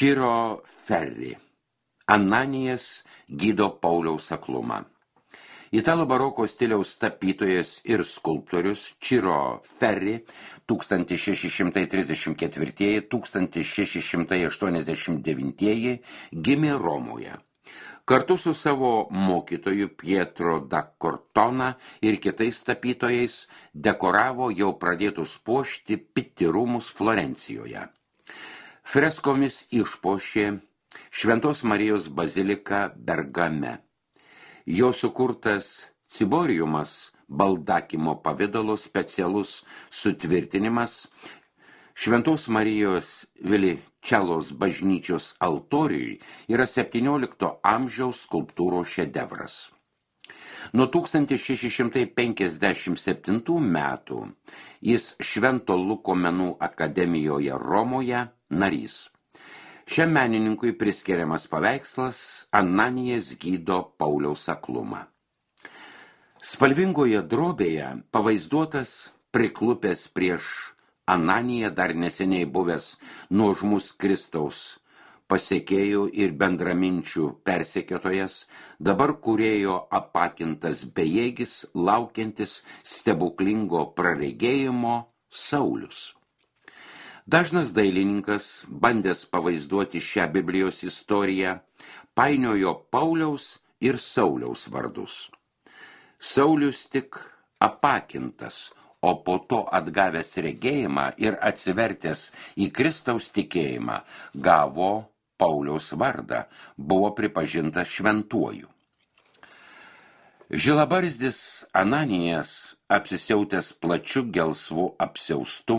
Ciro Ferri. Ananijas gydo Pauliaus aklumą. Italų baroko stiliaus tapytojas ir skulptorius Ciro Ferri 1634–1689 gimė Romoje. Kartu su savo mokytoju Pietro da Cortona ir kitais tapytojais dekoravo jau pradėtus puošti Pitti rūmus Florencijoje. Freskomis išpuošė Šventos Marijos baziliką Bergame. Jo sukurtas ciboriumas baldakimo pavidalo specialus sutvirtinimas Šventos Marijos Viličelos bažnyčios altoriui yra 17 amžiaus skulptūros šedevras. Nuo 1657 metų jis Švento Luko menų akademijoje Romoje narys. Šiam menininkui priskiriamas paveikslas Ananijas gydo Pauliaus aklumą. Spalvingoje drobėje pavaizduotas priklupęs prieš Ananiją dar neseniai buvęs nuožmus Kristaus pasekėjų ir bendraminčių persekiotojas, dabar kūrėjo apakintas bejėgis, laukiantis stebuklingo praregėjimo Saulius. Dažnas dailininkas, bandęs pavaizduoti šią Biblijos istoriją, painiojo Pauliaus ir Sauliaus vardus. Saulius tik apakintas, o po to atgavęs regėjimą ir atsivertęs į Kristaus tikėjimą, gavo Pauliaus vardą, buvo pripažintas šventuoju. Žilabarzdis Ananijas, apsisiautęs plačiu gelsvu apsiaustu,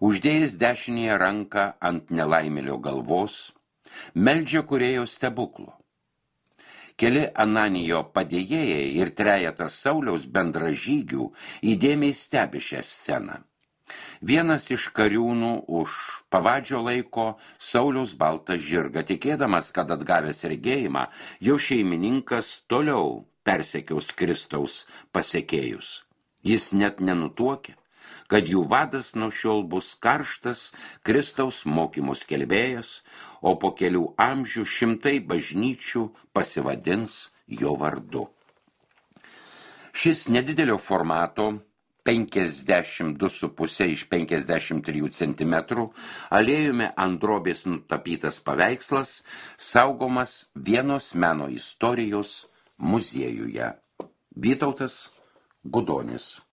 uždėjęs dešinėje ranką ant nelaimėlio galvos, meldžia kūrėjo stebuklo. Keli Ananijo padėjėjai ir trejetas Sauliaus bendražygių įdėmiai stebi šią sceną. Vienas iš kariūnų už pavadžio laiko Sauliaus baltą žirgą, tikėdamas, kad atgavęs regėjimą, jo šeimininkas toliau persekiaus Kristaus pasekėjus. Jis net nenutuokė, kad jų vadas nuo šiol bus karštas Kristaus mokymų skelbėjas, o po kelių amžių šimtai bažnyčių pasivadins jo vardu. Šis nedidelio formato 52,5 iš 53 cm aliejumi ant drobės nutapytas paveikslas saugomas Vienos meno istorijos muziejuje. Vytautas Gudonis.